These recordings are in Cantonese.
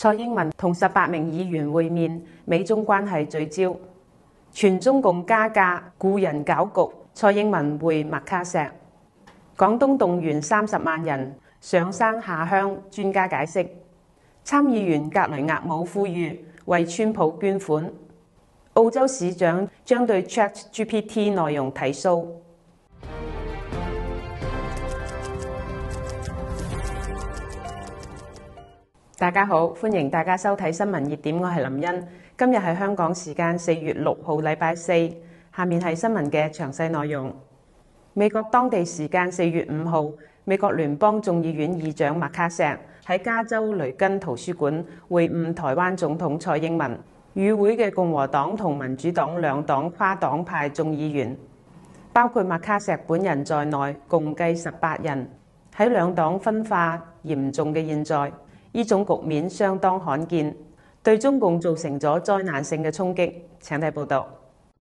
蔡英文同18名議員會面，美中關係聚焦。全中共加價，雇人搞局。蔡英文會麥卡錫。廣東動員30萬人上山下鄉，專家解釋。參議員格雷厄姆呼籲為川普捐款。澳洲市長將對 ChatGPT 內容提訴。大家好，歡迎大家收睇新聞熱點，我係林茵。今日係香港時間4月6號，禮拜四。下面係新聞嘅詳細內容。美國當地時間4月5號，美國聯邦眾議院議長麥卡錫喺加州雷根圖書館會晤台灣總統蔡英文。與會嘅共和黨同民主黨兩黨跨黨派眾議員，包括麥卡錫本人在內，共計18人。喺兩黨分化嚴重嘅現在，呢種局面相當罕見，對中共造成咗災難性嘅衝擊。請睇報道。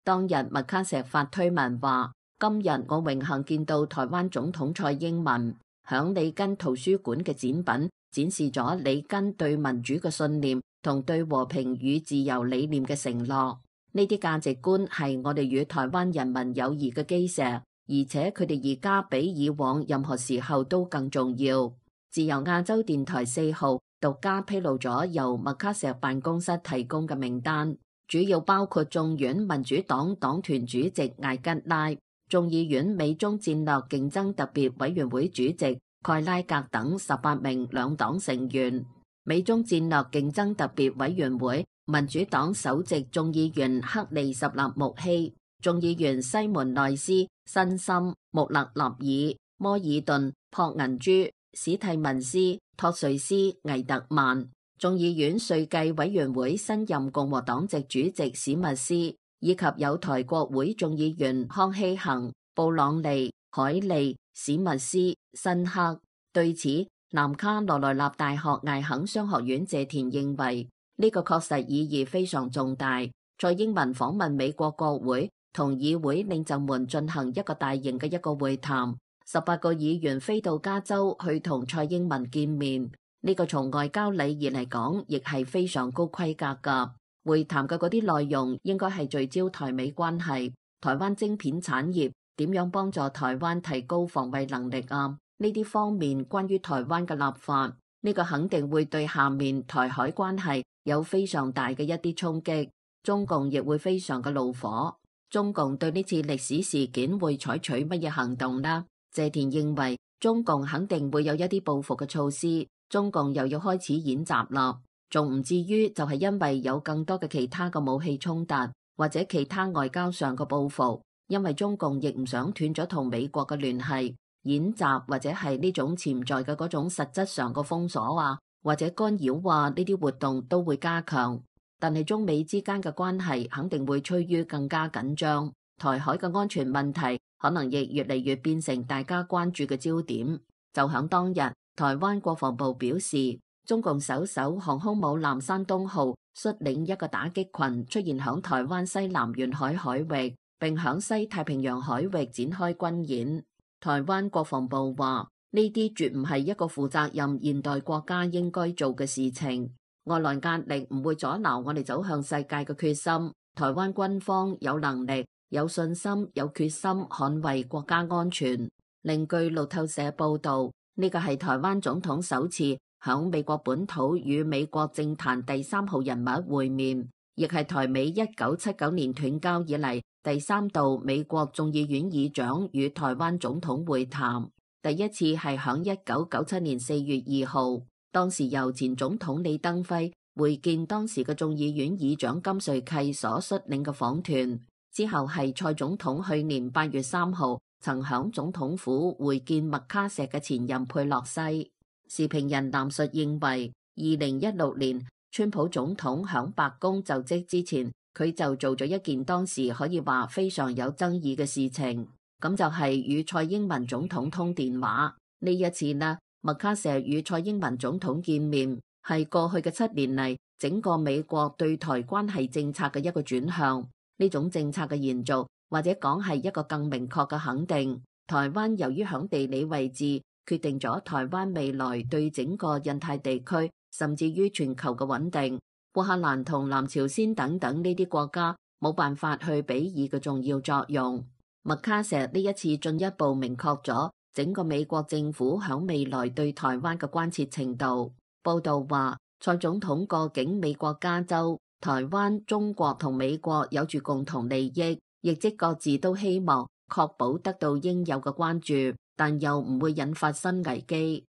當日麥卡錫發推文話：今日我榮幸見到台灣總統蔡英文，響里根圖書館嘅展品展示咗里根對民主嘅信念同對和平與自由理念嘅承諾。呢啲價值觀係我哋與台灣人民友誼嘅基石，而且佢哋而家比以往任何時候都更重要。自由亞洲電台4號獨家披露咗由麥卡錫辦公室提供嘅名單，主要包括眾院民主黨黨團主席艾吉拉、眾議院美中戰略競爭特別委員會主席蓋拉格等18名兩黨成員。美中戰略競爭特別委員會民主黨首席眾議員克利什納穆希、眾議員西門內斯、辛森、穆勒納爾、摩爾頓、朴銀珠、史蒂文斯、托瑞斯、魏特曼，眾議院稅計委員會新任共和黨籍主席史密斯，以及有台國會眾議員康希恒、布朗利、海利、史密斯、辛克。對此，南卡羅來納大學艾肯商學院謝田認為，呢個確實意義非常重大。蔡英文訪問美國國會，同議會領袖們進行一個大型嘅一個會談。18個議員飛到加州去同蔡英文見面，呢個從外交禮儀嚟講，亦係非常高規格㗎。會談嘅嗰啲內容應該係聚焦台美關係、台灣晶片產業點樣幫助台灣提高防衛能力啊，呢啲方面關於台灣嘅立法，呢個肯定會對下面台海關係有非常大嘅一啲衝擊。中共亦會非常嘅怒火。中共對呢次歷史事件會採取乜嘢行動呢？謝田認為中共肯定會有一啲報復嘅措施，中共又要開始演習啦，仲唔至於就係因為有更多嘅其他嘅武器衝突或者其他外交上嘅報復，因為中共亦唔想斷咗同美國嘅聯繫，演習或者係呢種潛在嘅嗰種實質上嘅封鎖啊或者干擾啊呢啲活動都會加強，但係中美之間嘅關係肯定會趨於更加緊張，台海嘅安全問題可能亦越嚟越變成大家關注嘅焦點。就響當日，台灣國防部表示，中共首艘航空母艦山東號率領一個打擊群出現響台灣西南沿海海域，並響西太平洋海域展開軍演。台灣國防部話，呢啲絕唔係一個負責任現代國家應該做嘅事情。外來壓力唔會阻撓我哋走向世界嘅決心。台灣軍方有能力、有信心、有決心捍衛國家安全。另據路透社報道，呢個係台灣總統首次響美國本土與美國政壇第3號人物會面，亦係台美1979年斷交以嚟第3度美國眾議院議長與台灣總統會談。第一次係響1997年4月2號，當時由前總統李登輝會見當時嘅眾議院議長金瑞契所率領嘅訪團。之後係蔡總統去年8月3號曾響總統府會見麥卡錫嘅前任佩洛西。時評人藍述認為，2016年川普總統響白宮就職之前，佢就做咗一件當時可以話非常有爭議嘅事情，咁就係與蔡英文總統通電話。呢一次呢，麥卡錫與蔡英文總統見面，係過去嘅7年嚟整個美國對台關係政策嘅一個轉向。呢種政策嘅延續，或者講係一個更明確嘅肯定。台灣由於響地理位置，決定咗台灣未來對整個印太地區甚至於全球嘅穩定。烏克蘭同南朝鮮等等呢啲國家冇辦法去比擬嘅重要作用。麥卡錫呢一次進一步明確咗整個美國政府響未來對台灣嘅關切程度。報道話，蔡總統過境美國加州、台灣、中國同美國有住共同利益，亦即各自都希望確保得到應有嘅關注，但又唔會引發新危機。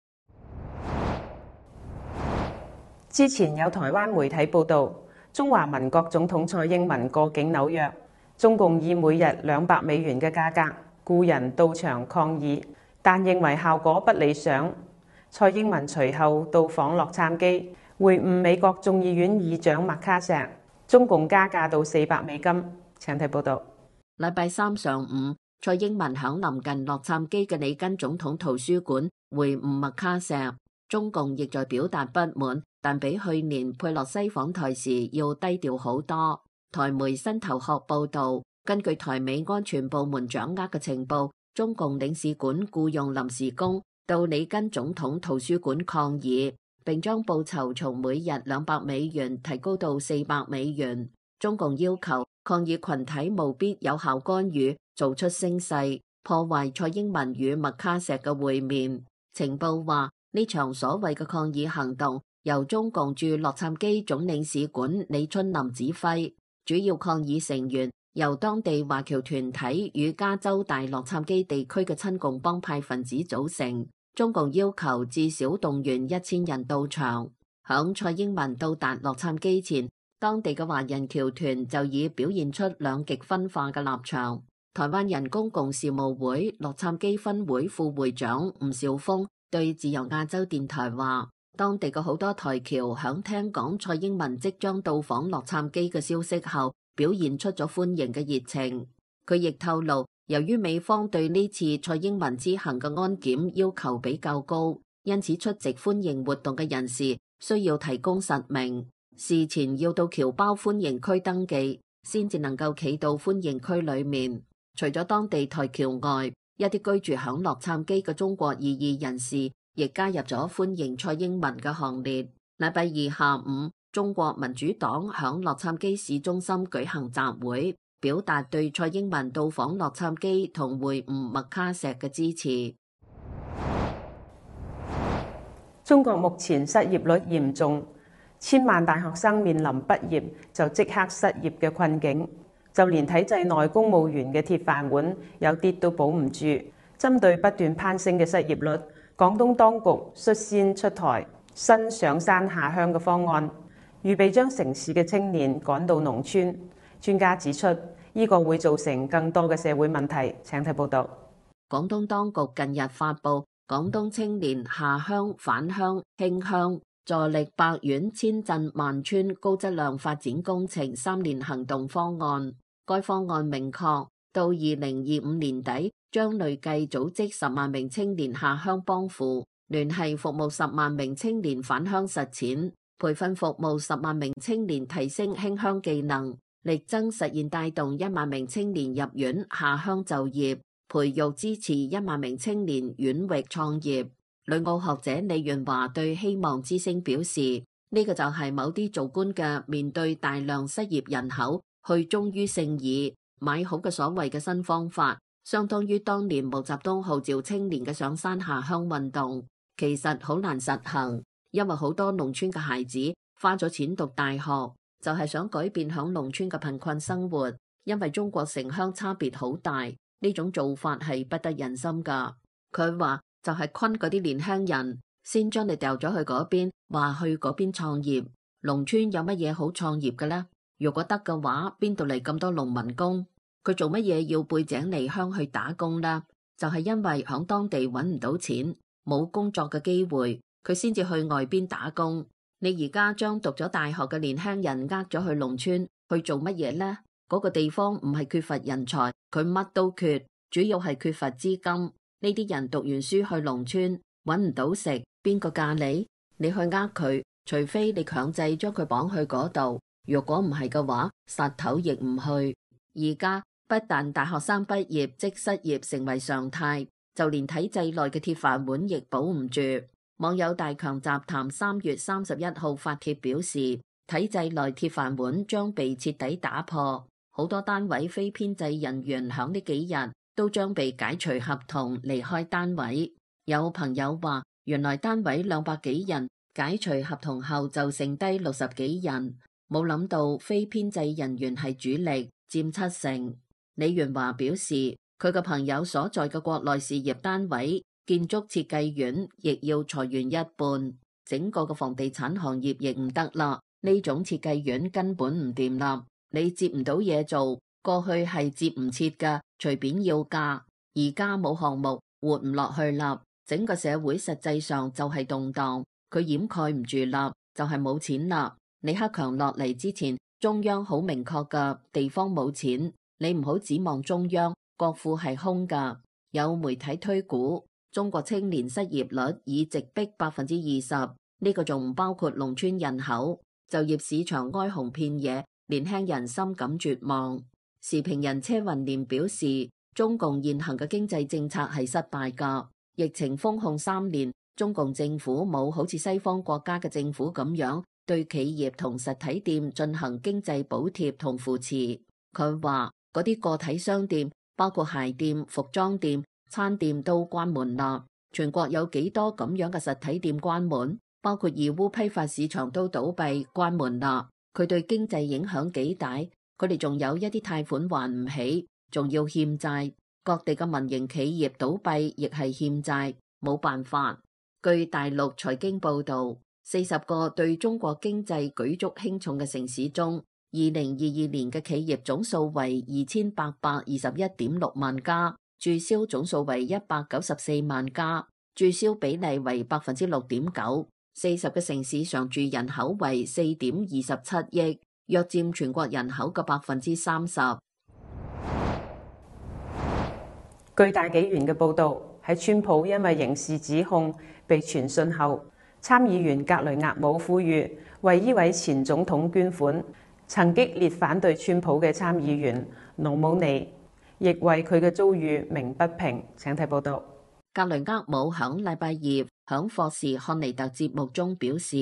之前有台灣媒體報道，中華民國總統蔡英文過境紐約，中共以每日200美元嘅價格雇人到場抗議，但認為效果不理想。蔡英文隨後到訪洛杉磯，會晤美國眾議院議長麥卡錫，中共加價到400美金。請睇報道。禮拜三上午，蔡英文響臨近洛杉磯嘅里根總統圖書館會晤麥卡錫，中共亦在表達不滿，但比去年佩洛西訪台時要低調好多。台媒新頭殼報道，根據台美安全部門掌握嘅情報，中共領事館僱用臨時工到里根總統圖書館抗議，並將報酬從每日200美元提高到400美元。中共要求抗議群體務必有效干預，做出聲勢，破壞蔡英文與麥卡錫嘅會面。情報話，呢場所謂嘅抗議行動由中共駐洛杉磯總領事館李春林指揮，主要抗議成員由當地華僑團體與加州大洛杉磯地區嘅親共幫派分子組成。中共要求至少動員1000人到場。響蔡英文到達洛杉磯前，當地嘅華人僑團就已表現出兩極分化嘅立場。台灣人公共事務會洛杉磯分會副會長吳兆峰對自由亞洲電台話，當地嘅好多台僑響聽講蔡英文即將到訪洛杉磯嘅消息後，表現出咗歡迎嘅熱情。佢亦透露，由於美方對呢次蔡英文之行嘅安檢要求比較高，因此出席歡迎活動嘅人士需要提供實名，事前要到僑胞歡迎區登記，先至能夠企到歡迎區裏面。除咗當地台僑外，一啲居住響洛杉磯嘅中國異議人士亦加入咗歡迎蔡英文嘅行列。禮拜二下午，中國民主黨響洛杉磯市中心舉行集會，表達對蔡英文到訪洛杉磯同會晤麥卡錫嘅支持。中國目前失業率嚴重，千萬大學生面臨畢業就即刻失業嘅困境，就連體制內公務員嘅鐵飯碗有啲都保唔住。針對不斷攀升嘅失業率，廣東當局率先出台新上山下鄉嘅方案，預備將城市嘅青年趕到農村。專家指出，呢個會造成更多嘅社會問題。請睇報道。廣東當局近日發布廣東青年下鄉返鄉興鄉助力百縣千鎮萬村高質量發展工程3年行動方案。該方案明確，到2025年底將累計組織10萬名青年下鄉幫扶，聯繫服務10萬名青年返鄉實踐，培訓服務10萬名青年提升興鄉技能，力爭實現帶動1萬名青年入院下鄉就業，培育支持1萬名青年遠域創業。旅澳學者李潤華對希望之聲表示，呢個就係某啲做官嘅面對大量失業人口去忠於聖義買好嘅所謂嘅新方法，相當於當年毛澤東號召青年嘅上山下鄉運動，其實好難實行，因為好多農村嘅孩子花咗錢讀大學，就係想改變響農村嘅貧困生活，因為中國城鄉差別好大，呢種做法係不得人心噶。佢話就係昆嗰啲年輕人，先將你掉咗去嗰邊，話去嗰邊創業。農村有乜嘢好創業嘅呢？如果得嘅話，邊度嚟咁多農民工？佢做乜嘢要背井離鄉去打工呢？就係因為響當地揾唔到錢，冇工作嘅機會，佢先至去外邊打工。你而家將讀咗大學嘅年輕人呃咗去農村去做乜嘢呢？嗰個地方唔係缺乏人才，佢乜都缺，主要係缺乏資金。呢啲人讀完書去農村揾唔到食，邊個嫁你？你去呃佢，除非你強制將佢綁去嗰度。如果唔係嘅話，殺頭亦唔去。而家不但大學生畢業即失業成為常態，就連體制內嘅鐵飯碗亦保唔住。網友大強集談3月31號發帖表示，體制內鐵飯碗將被徹底打破，好多單位非編制人員響呢幾日都將被解除合同離開單位。有朋友話，原來單位200幾人解除合同後就剩低60幾人，冇諗到非編制人員係主力，佔70%。李元華表示，佢嘅朋友所在嘅國內事業單位建築設計院亦要裁員一半，整個嘅房地產行業亦唔得啦。呢種設計院根本唔掂啦，你接唔到嘢做，過去係接唔切噶，隨便要價，而家冇項目，活唔落去啦。整個社會實際上就係動盪，佢掩蓋唔住啦，就係冇錢啦。李克強落嚟之前，中央好明確噶，地方冇錢，你唔好指望中央，國庫係空噶。有媒體推估，中國青年失業率已直逼20%，呢個仲唔包括農村人口。就業市場哀鴻遍野，年輕人深感絕望。時評人車雲年表示，中共現行嘅經濟政策係失敗噶。疫情封控3年，中共政府冇好似西方國家嘅政府咁樣對企業同實體店進行經濟補貼同扶持。佢話嗰啲個體商店，包括鞋店、服裝店、餐店都關門啦。全國有幾多咁樣嘅實體店關門？包括義烏批發市場都倒閉關門啦。佢對經濟影響幾大？佢哋仲有一啲貸款還唔起，仲要欠債。各地嘅民營企業倒閉亦係欠債，冇辦法。據大陸財經報導，40個對中國經濟舉足輕重嘅城市中，2022年嘅企業總數為2821.6萬家，註銷總數為194萬家，註銷比例為6.9%。40個城市常住人口為4.27億，約佔全國人口嘅30%。據大紀元嘅報導，喺川普因為刑事指控被傳訊後，參議員格雷厄姆呼籲為呢位前總統捐款。曾激烈反對川普嘅參議員盧姆尼亦為佢嘅遭遇鳴不平。請睇報導。格雷厄姆響禮拜二響霍士漢尼特節目中表示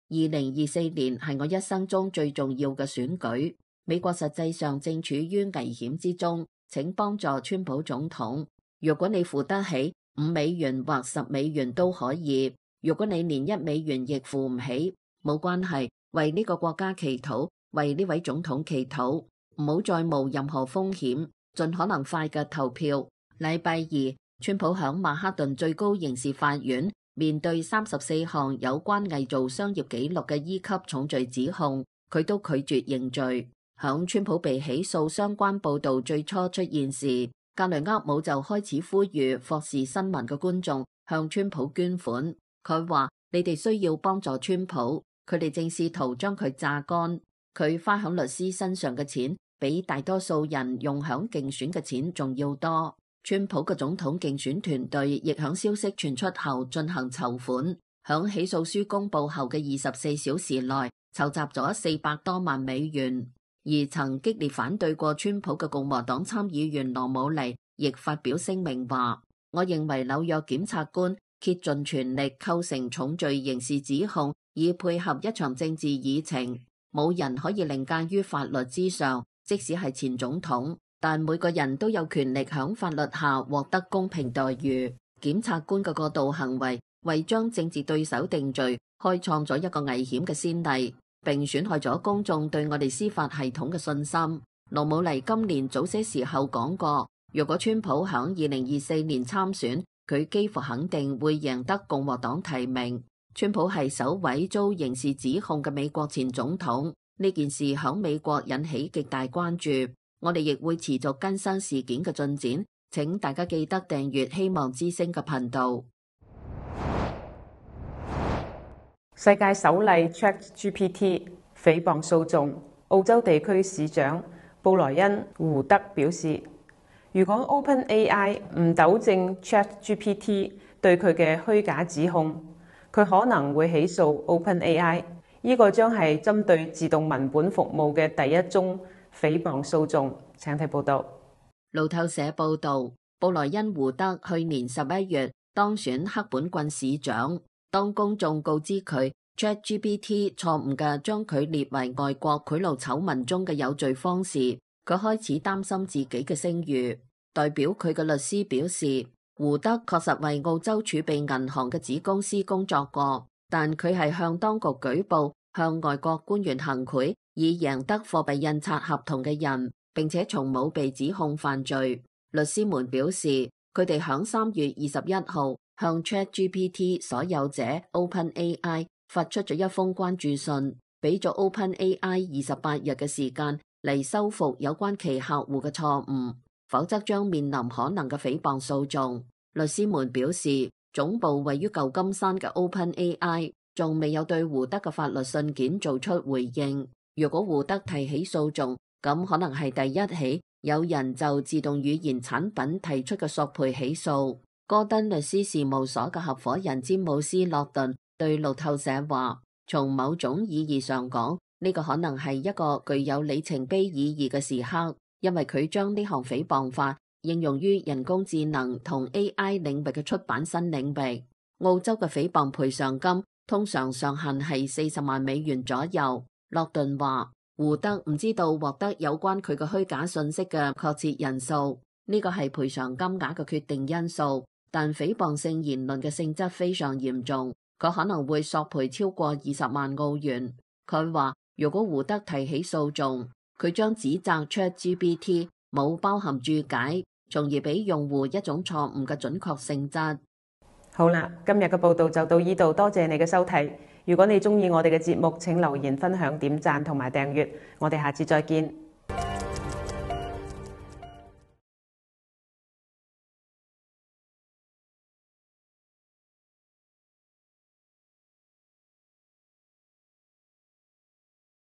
，2024年係我一生中最重要嘅選舉。美國實際上正處於危險之中，請幫助川普總統。如果你付得起$5或$10都可以，如果你連$1亦付唔起，冇關係，為呢個國家祈禱，為呢位總統祈禱，唔好再冒任何風險，盡可能快嘅投票。禮拜二，川普響曼哈頓最高刑事法院面對34項有關偽造商業紀錄嘅E級重罪指控，佢都拒絕認罪。響川普被起訴相關報道最初出現時，格雷厄姆就開始呼籲霍士新聞嘅觀眾向川普捐款。佢話：你哋需要幫助川普，佢哋正試圖將佢榨乾。佢花響律師身上嘅錢，比大多數人用響競選嘅錢仲要多。川普嘅總統競選團隊亦響消息傳出後進行籌款，響起訴書公佈後嘅24小時內籌集咗400多萬美元。而曾激烈反對過川普嘅共和黨參議員羅姆尼亦發表聲明話：我認為紐約檢察官竭盡全力構成重罪刑事指控，以配合一場政治議程。冇人可以凌駕於法律之上，即使係前總統，但每個人都有權力響法律下獲得公平待遇。檢察官嘅過度行為為將政治對手定罪開創咗一個危險嘅先例，並損害咗公眾對我哋司法系統嘅信心。羅姆尼今年早些時候講過，如果川普響2024年參選，佢幾乎肯定會贏得共和黨提名。川普係首位遭刑事指控嘅美國前總統，呢件事響美國引起極大關注。我哋亦會持續更新事件嘅進展，請大家記得訂閱希望之聲嘅頻道。世界首例 ChatGPT 誹謗訴訟，澳洲地區市長布萊恩胡德表示，如果 OpenAI 唔糾正 ChatGPT 對佢嘅虛假指控，佢可能會起訴 OpenAI。呢個將係針對自動文本服務嘅第一宗誹謗訴訟。請睇報道。路透社報道，布萊恩胡德去年11月當選赫本郡市長，當公眾告知佢 ChatGPT 錯誤嘅將佢列為外國賄賂醜聞中嘅有罪方時，佢開始擔心自己嘅聲譽。代表佢嘅律師表示，胡德確實為澳洲儲備銀行嘅子公司工作過，但佢係向當局舉報向外國官員行賄以贏得貨幣印刷合同嘅人，並且從冇被指控犯罪。律師們表示，佢哋響3月21號向 ChatGPT 所有者 OpenAI 發出咗一封關注信，俾咗 OpenAI 28日嘅時間嚟修復有關其客戶嘅錯誤，否則將面臨可能嘅誹謗訴訟。律師們表示，總部位於舊金山嘅 OpenAI 仲未有對胡德嘅法律信件做出回應。如果胡德提起訴訟，咁可能係第一起有人就自動語言產品提出嘅索賠起訴。戈登律師事務所嘅合夥人詹姆斯·洛頓對路透社話，從某種意義上講，呢個可能係一個具有里程碑意義嘅時刻，因為佢將呢項誹謗法應用於人工智能同 AI 領域嘅出版新領域。澳洲嘅誹謗賠償金通常上限係40萬美元左右。洛頓話，胡德唔知道獲得有關佢嘅虛假信息嘅確切人數，呢個係賠償金額嘅決定因素，但誹謗性言論嘅性質非常嚴重，佢可能會索賠超過20萬澳元。佢話，如果胡德提起訴訟，佢將指責 ChatGPT 冇包含注解，從而俾用戶一種錯誤嘅準確性質。好啦，今日嘅報道就到呢度，多謝你嘅收睇。如果你鍾意我哋嘅節目，請留言分享、點讚同埋訂閱。我哋下次再見。